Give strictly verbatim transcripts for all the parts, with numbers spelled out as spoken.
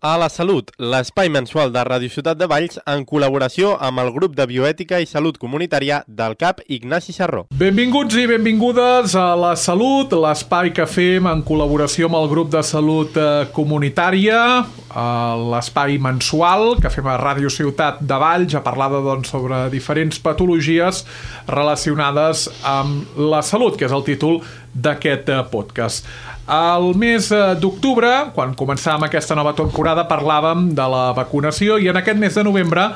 A la Salut, l'espai mensual de Ràdio Ciutat de Valls en col·laboració amb el grup de bioètica i salut comunitària del C A P Ignasi Sarró. Benvinguts i benvingudes a la Salut, l'espai que fem en col·laboració amb el grup de salut comunitària, l'espai mensual que fem a Ràdio Ciutat de Valls, a parlar doncs, sobre diferents patologies relacionades amb la salut, que és el títol d'aquest podcast. Al mes d'octubre, quan començàvem aquesta nova temporada, parlàvem de la vacunació i en aquest mes de novembre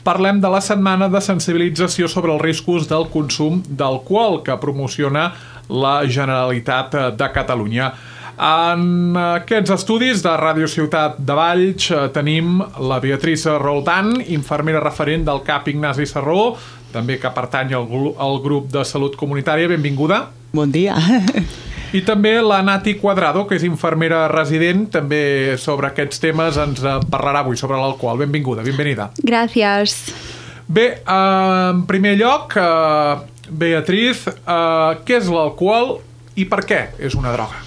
parlem de la setmana de sensibilització sobre els riscos del consum d'alcohol que promociona la Generalitat de Catalunya. En aquests estudis de Ràdio Ciutat de Valls tenim la Beatriz Roldán, infermera referent del C A P Ignasi Sarró, també que pertany al grup de salut comunitària. Benvinguda. Bon dia. I també la Nati Cuadrado, que és infermera resident, també sobre aquests temes ens parlarà avui, sobre l'alcohol. Benvinguda, benvenida. Gràcies. Bé, en primer lloc, Beatriz, què és l'alcohol i per què és una droga?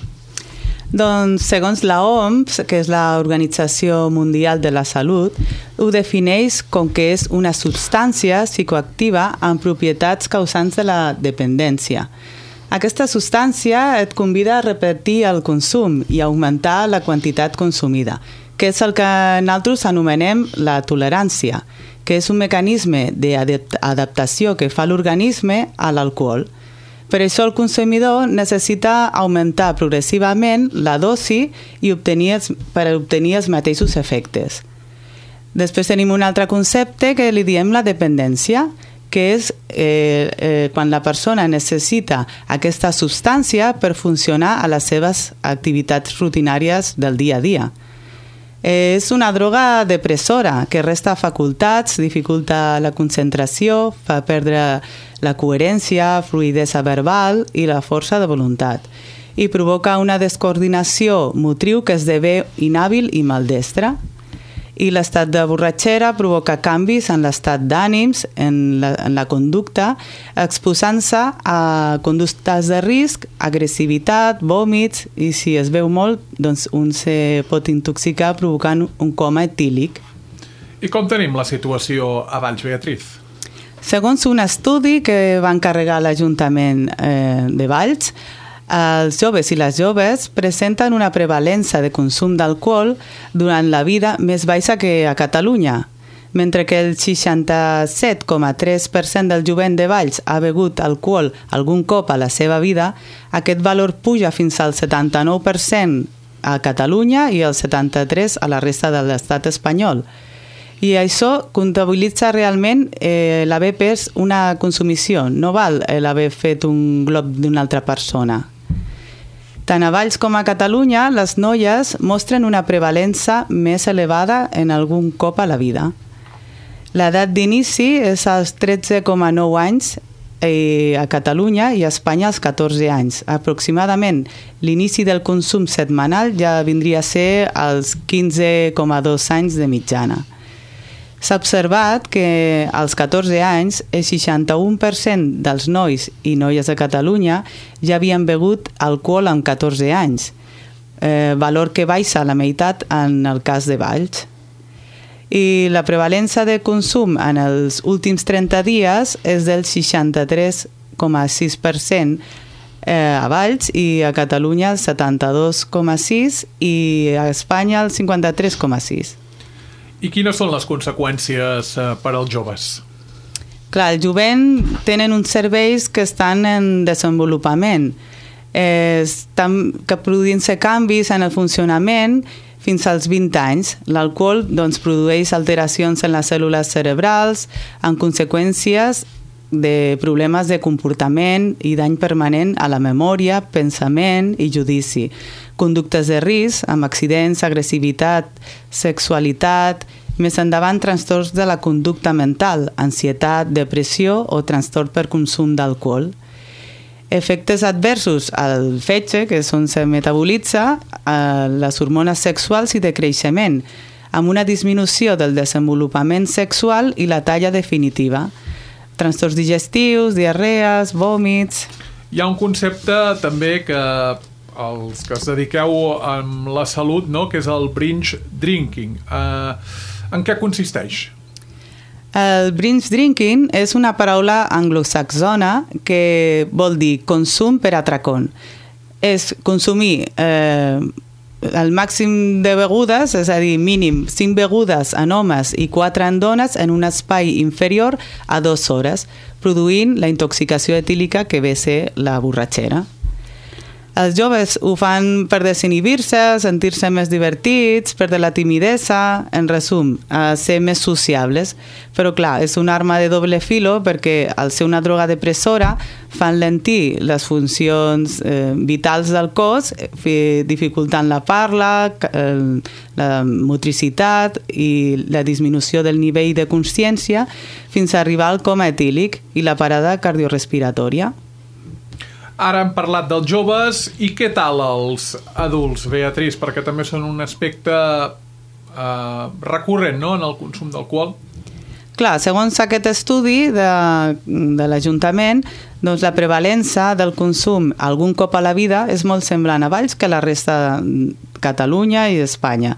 Doncs, segons la O M S, que és l'Organització Mundial de la Salut, ho defineix com que és una substància psicoactiva amb propietats causants de la dependència. Aquesta substància et convida a repetir el consum i augmentar la quantitat consumida, que és el que nosaltres anomenem la tolerància, que és un mecanisme d'adaptació que fa l'organisme a l'alcohol. Per això el consumidor necessita augmentar progressivament la dosi i obtenir, per obtenir els mateixos efectes. Després tenim un altre concepte que li diem la dependència, que és eh, eh, quan la persona necessita aquesta substància per funcionar a les seves activitats rutinàries del dia a dia. Eh, és una droga depressora que resta facultats, dificulta la concentració, fa perdre la coherència, fluïdesa verbal i la força de voluntat i provoca una descoordinació motriu que esdevé inhàbil i maldestra. I l'estat de borratxera provoca canvis en l'estat d'ànims, en la, en la conducta, exposant-se a conductes de risc, agressivitat, vòmits, i si es veu molt, doncs un se pot intoxicar provocant un coma etílic. I com tenim la situació a Valls, Beatriz? Segons un estudi que va encarregar l'Ajuntament eh, de Valls, els joves i les joves presenten una prevalença de consum d'alcohol durant la vida més baixa que a Catalunya. Mentre que el seixanta-set coma tres per cent del jovent de Valls ha begut alcohol algun cop a la seva vida, aquest valor puja fins al setanta-nou per cent a Catalunya i el setanta-tres per cent a la resta de l'estat espanyol. I això comptabilitza realment eh, l'haver pres una consumició, no val l'haver fet un glob d'una altra persona. Tant a Valls com a Catalunya, les noies mostren una prevalença més elevada en algun cop a la vida. L'edat d'inici és als tretze coma nou anys eh, a Catalunya i a Espanya als catorze anys. Aproximadament l'inici del consum setmanal ja vindria a ser als quinze coma dos anys de mitjana. S'ha observat que als catorze anys el seixanta-u per cent dels nois i noies de Catalunya ja havien begut alcohol amb catorze anys, eh, valor que baixa a la meitat en el cas de Valls. I la prevalença de consum en els últims trenta dies és del seixanta-tres coma sis per cent eh, a Valls i a Catalunya el setanta-dos coma sis per cent i a Espanya el cinquanta-tres coma sis per cent. I quines són les conseqüències per als joves? Clar, el jovent tenen uns cervells que estan en desenvolupament, eh, estan produint-se canvis en el funcionament fins als vint anys. L'alcohol doncs, produeix alteracions en les cèl·lules cerebrals, amb conseqüències de problemes de comportament i dany permanent a la memòria, pensament i judici. Conductes de risc, amb accidents, agressivitat, sexualitat, més endavant trastorns de la conducta mental, ansietat, depressió o trastorn per consum d'alcohol. Efectes adversos al fetge, que és on se metabolitza les hormones sexuals i de creixement, amb una disminució del desenvolupament sexual i la talla definitiva. Trastorns digestius, diarrees, vòmits... Hi ha un concepte també que els que es dediqueu amb la salut, no? Que és el binge drinking. Uh, en què consisteix? El binge drinking és una paraula anglosaxona que vol dir consum per atracón. És consumir eh, el màxim de begudes, és a dir, mínim cinc begudes en homes i quatre en dones en un espai inferior a dues hores, produint la intoxicació etílica que ve a ser la borratxera. Els joves ho fan per desinhibir-se, sentir-se més divertits, perdre la timidesa, en resum, a ser més sociables. Però clar, és una arma de doble filo perquè al ser una droga depressora fan lentir les funcions eh, vitals del cos, dificultant la parla, eh, la motricitat i la disminució del nivell de consciència fins a arribar al coma etílic i la parada cardiorespiratòria. Ara hem parlat dels joves i què tal els adults, Beatriz? Perquè també són un aspecte eh, recurrent, no?, en el consum d'alcohol. Clar, segons aquest estudi de, de l'Ajuntament, doncs la prevalença del consum algun cop a la vida és molt semblant a Valls que a la resta de Catalunya i d'Espanya.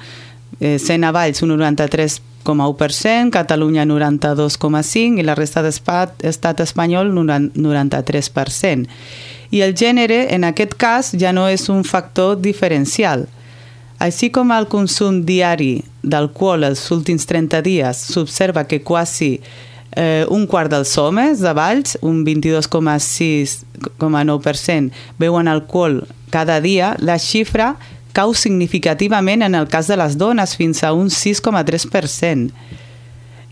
Eh, sent a Valls un noranta-tres coma u per cent, Catalunya noranta-dos coma cinc i la resta de l'estat espanyol noranta-tres per cent. I el gènere, en aquest cas, ja no és un factor diferencial. Així com el consum diari d'alcohol els últims trenta dies s'observa que quasi eh, un quart dels homes de Valls, un vint-i-dos coma sis coma nou per cent, beuen alcohol cada dia, la xifra cau significativament en el cas de les dones, fins a un sis coma tres per cent.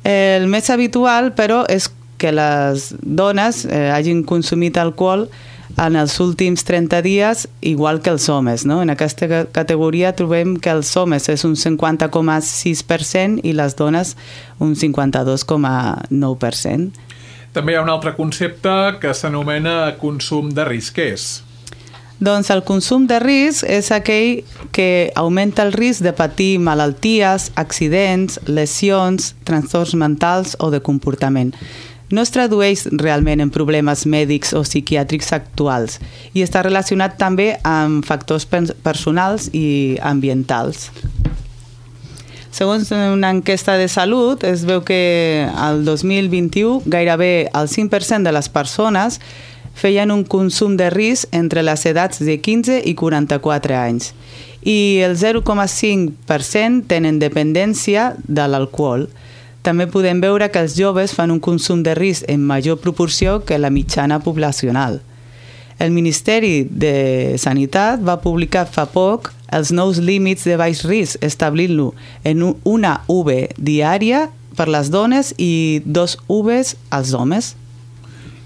El més habitual, però, és que les dones eh, hagin consumit alcohol en els últims trenta dies, igual que els homes, no? En aquesta categoria trobem que els homes és un cinquanta coma sis per cent i les dones un cinquanta-dos coma nou per cent. També hi ha un altre concepte que s'anomena consum de risc. Què és? Doncs el consum de risc és aquell que augmenta el risc de patir malalties, accidents, lesions, trastorns mentals o de comportament. No es tradueix realment en problemes mèdics o psiquiàtrics actuals i està relacionat també amb factors personals i ambientals. Segons una enquesta de salut, es veu que el dos mil vint-i-u gairebé el cinc per cent de les persones feien un consum de risc entre les edats de quinze i quaranta-quatre anys i el zero coma cinc per cent tenen dependència de l'alcohol. També podem veure que els joves fan un consum de risc en major proporció que la mitjana poblacional. El Ministeri de Sanitat va publicar fa poc els nous límits de baix risc, establint-lo en una U V diària per les dones i dos U Vs als homes.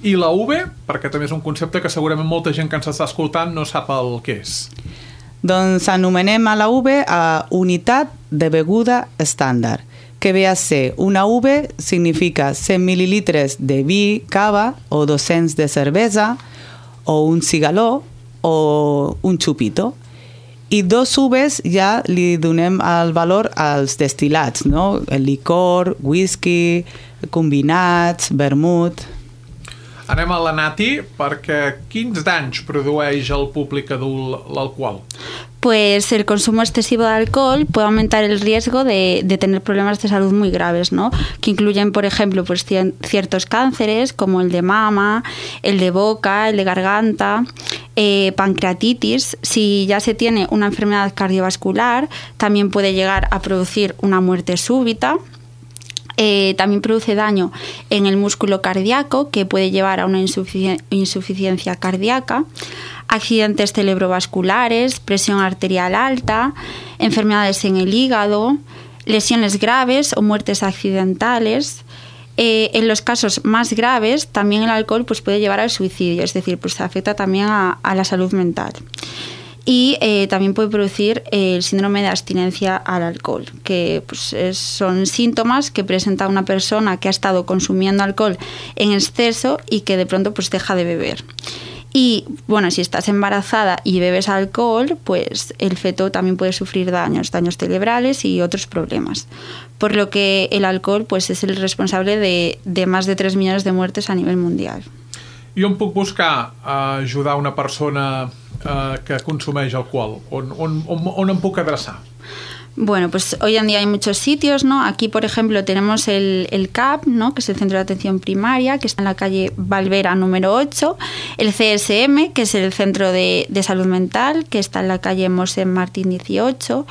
I la U V, perquè també és un concepte que segurament molta gent que ens està escoltant no sap el que és. Doncs anomenem a la U V a unitat de beguda estàndard, que ve a ser una U V significa cent mil·lilitres de vi, cava o dos-cents de cervesa o un cigaló o un xupito. I dos U Vs ja li donem el valor als destilats, no? El licor, whisky, combinats, vermut. Anem a la Nati, perquè quins danys produeix al públic adult l'alcohol? Pues el consumo excesivo de alcohol puede aumentar el riesgo de, de tener problemas de salud muy graves, ¿no? Que incluyen, por ejemplo, pues, ciertos cánceres como el de mama, el de boca, el de garganta, eh, pancreatitis. Si ya se tiene una enfermedad cardiovascular, también puede llegar a producir una muerte súbita. Eh, también produce daño en el músculo cardíaco, que puede llevar a una insufici- insuficiencia cardíaca, accidentes cerebrovasculares, presión arterial alta, enfermedades en el hígado, lesiones graves o muertes accidentales. Eh, en los casos más graves, también el alcohol pues, puede llevar al suicidio, es decir, pues afecta también a, a la salud mental. Y eh, también puede producir el síndrome de abstinencia al alcohol, que pues, es, son síntomas que presenta una persona que ha estado consumiendo alcohol en exceso y que de pronto pues, deja de beber. Y bueno, si estás embarazada y bebes alcohol, pues el feto también puede sufrir daños, daños cerebrales y otros problemas. Por lo que el alcohol pues, es el responsable de, de más de tres millones de muertes a nivel mundial. I on puc buscar a ajudar una persona eh, que consumeix alcohol? On, on, on, on em puc adreçar? Bueno, pues hoy en día hay muchos sitios, ¿no? Aquí, por ejemplo, tenemos el, el C A P, ¿no? Que es el Centro de Atención Primaria, que está en la calle Valvera número ocho, el C S M, que es el Centro de, de Salud Mental, que está en la calle Mosén Martín dieciocho,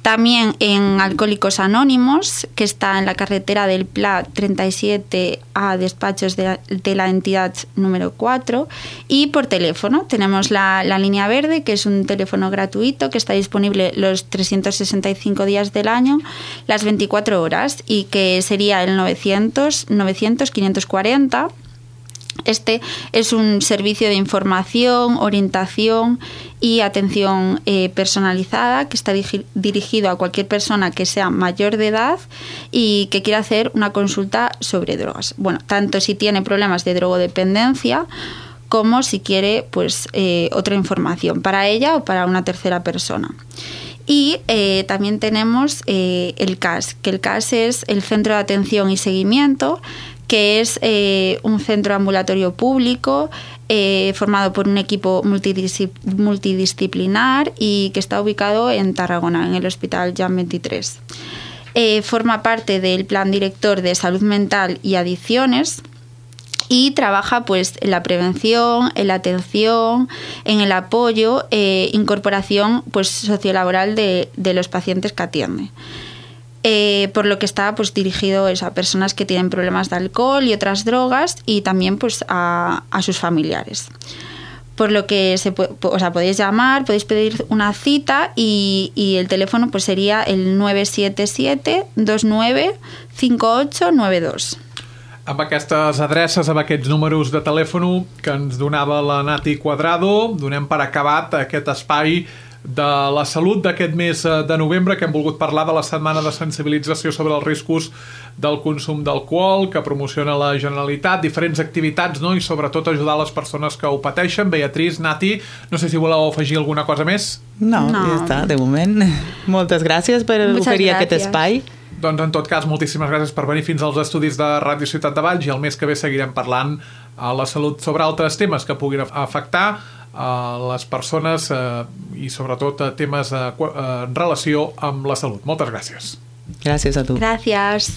también en Alcohólicos Anónimos, que está en la carretera del Pla treinta y siete a despachos de la, de la entidad número cuatro, y por teléfono tenemos la, la línea verde, que es un teléfono gratuito que está disponible los trescientos sesenta y cinco días del año, las veinticuatro horas, y que sería el novecientos novecientos quinientos cuarenta. Este es un servicio de información, orientación y atención eh, personalizada que está digi- dirigido a cualquier persona que sea mayor de edad y que quiera hacer una consulta sobre drogas. Bueno, tanto si tiene problemas de drogodependencia como si quiere pues eh, otra información para ella o para una tercera persona. Y eh, también tenemos eh, el C A S, que el C A S es el Centro de Atención y Seguimiento, que es eh, un centro ambulatorio público eh, formado por un equipo multidiscip- multidisciplinar y que está ubicado en Tarragona, en el Hospital Jan veintitrés. Eh, forma parte del Plan Director de Salud Mental y Adicciones y trabaja pues en la prevención, en la atención, en el apoyo, eh, incorporación pues sociolaboral de, de los pacientes que atiende. Eh, por lo que está pues dirigido es a personas que tienen problemas de alcohol y otras drogas y también pues a, a sus familiares. Por lo que se puede, o sea, podéis llamar, podéis pedir una cita y, y el teléfono pues sería el nueve siete siete dos nueve cinco ocho nueve dos. Amb aquestes adreces, amb aquests números de telèfon que ens donava la Nati Cuadrado, donem per acabat aquest espai de la salut d'aquest mes de novembre, que hem volgut parlar de la setmana de sensibilització sobre els riscos del consum d'alcohol que promociona la Generalitat, diferents activitats, no? I sobretot ajudar les persones que ho pateixen. Beatriz, Nati, no sé si voleu afegir alguna cosa més. No, no. Ja està, de moment. Moltes gràcies per Muchas oferir gracias. aquest espai. Doncs en tot cas, moltíssimes gràcies per venir fins als estudis de Ràdio Ciutat de Valls i el mes que ve seguirem parlant a la salut sobre altres temes que puguin afectar a les persones eh, i sobretot a temes eh, en relació amb la salut. Moltes gràcies. Gràcies a tu. Gracias.